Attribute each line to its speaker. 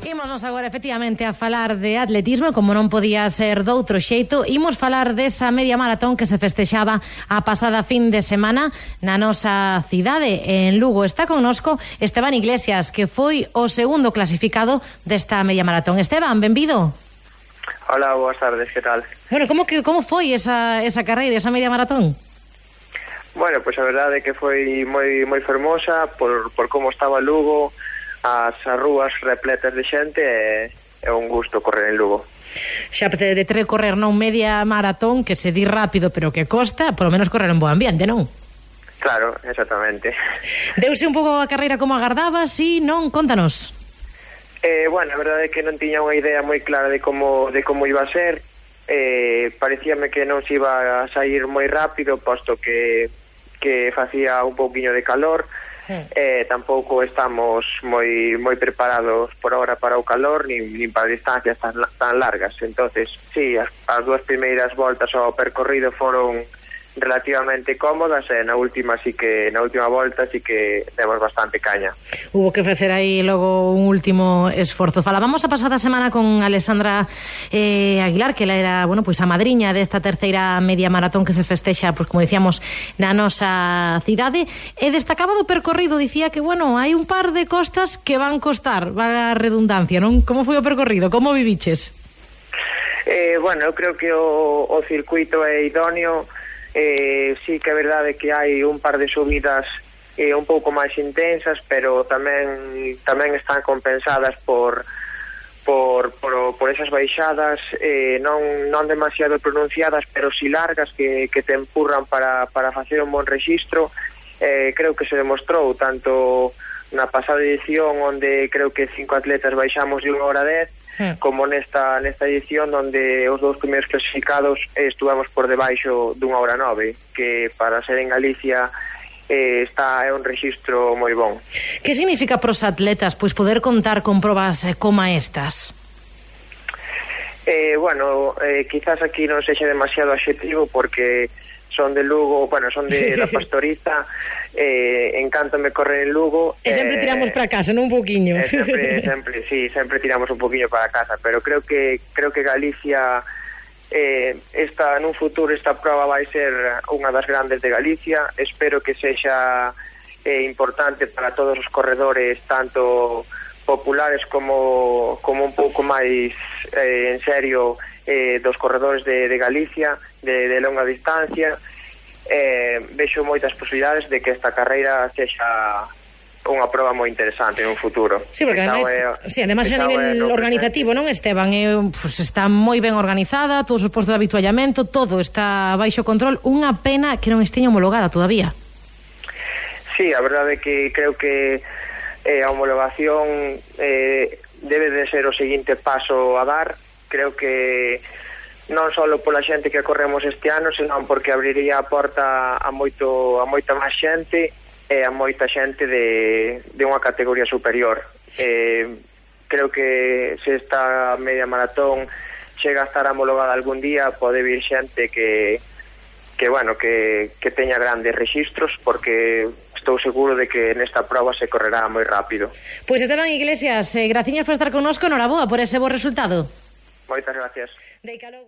Speaker 1: Ímonos agora efectivamente a falar de atletismo, como non podía ser doutro xeito. Imos falar desa media maratón que se festexaba a pasada fin de semana na nosa cidade, en Lugo. Está connosco Esteban Iglesias, que foi o segundo clasificado desta media maratón. Esteban, benvido.
Speaker 2: Hola, boas tardes, que tal?
Speaker 1: Bueno, como foi esa carreira, esa media maratón?
Speaker 2: Bueno, pois a verdade é que foi moi fermosa por como estaba Lugo, as rúas repletas de xente, é un gusto correr en Lugo.
Speaker 1: Xa de ter correr non media maratón, que se di rápido pero que costa, por lo menos correr en bo ambiente, non?
Speaker 2: Claro, exactamente.
Speaker 1: Deuse un pouco a carreira como agardabas, si non? Contanos.
Speaker 2: Bueno, a verdade é que non tiña unha idea moi clara de como iba a ser. Parecíame que non se iba a sair moi rápido, posto que facía un pouquiño de calor. Tampouco estamos moi preparados por ahora para o calor, nin para distancias tan largas. Entonces, sí, as dúas primeiras voltas ao percorrido foron relativamente cómodas, e na última volta sí que demos bastante caña.
Speaker 1: Hubo que facer aí logo un último esforzo. Falábamos a pasada semana con Alexandra Aguilar, que ela era, bueno, pois a madriña desta terceira media maratón que se festexa, pois como dicíamos, na nosa cidade, e destacaba do percorrido, dicía que, bueno, hai un par de costas que van costar, va a redundancia, non? Como foi o percorrido? Como viviches?
Speaker 2: Bueno, eu creo que o circuito é idóneo. Sí que é verdade que hai un par de subidas un pouco máis intensas, pero tamén están compensadas por esas baixadas non demasiado pronunciadas, pero si largas, que te empurran para facer un bon rexistro. Creo que se demostrou tanto na pasada edición, onde creo que 5 atletas baixamos de 1 hora 10, como nesta edición, onde os dous primeiros clasificados estuvamos por debaixo dunha hora 9, que para ser en Galicia é un rexistro moi bon.
Speaker 1: Que significa pros atletas pois poder contar con probas como estas?
Speaker 2: Bueno, quizás aquí non sexa demasiado adxetivo, porque son de Lugo, bueno, son da Pastoriza, encántame correr en Lugo.
Speaker 1: E sempre tiramos para casa, non un poquinho.
Speaker 2: Sempre tiramos un poquinho para casa, pero creo que Galicia, nun futuro esta prova vai ser unha das grandes de Galicia. Espero que sexa importante para todos os corredores, tanto populares como un pouco máis en serio, dos corredores de Galicia, de longa distancia. Vexo moitas posibilidades de que esta carreira sexa unha proba moi interesante en un futuro.
Speaker 1: Sí, porque ademais a nivel organizativo, non, Esteban? Pues está moi ben organizada, todos os postos de habituallamento, todo está baixo control. Unha pena que non esteña homologada todavía.
Speaker 2: Sí, a verdade é que creo que a homologación debe de ser o seguinte paso a dar. Creo que non só pola xente que corremos este ano, senón porque abriría a porta a moita máis xente, e a moita xente de unha categoría superior. Creo que se esta media maratón chega a estar homologada algún día, pode vir xente que teña grandes rexistros, porque estou seguro de que nesta prova se correrá moi rápido.
Speaker 1: Pois Esteban Iglesias, graciñas por estar connosco, noraboa por ese bo resultado.
Speaker 2: Moitas gracias.
Speaker 1: Deica logo.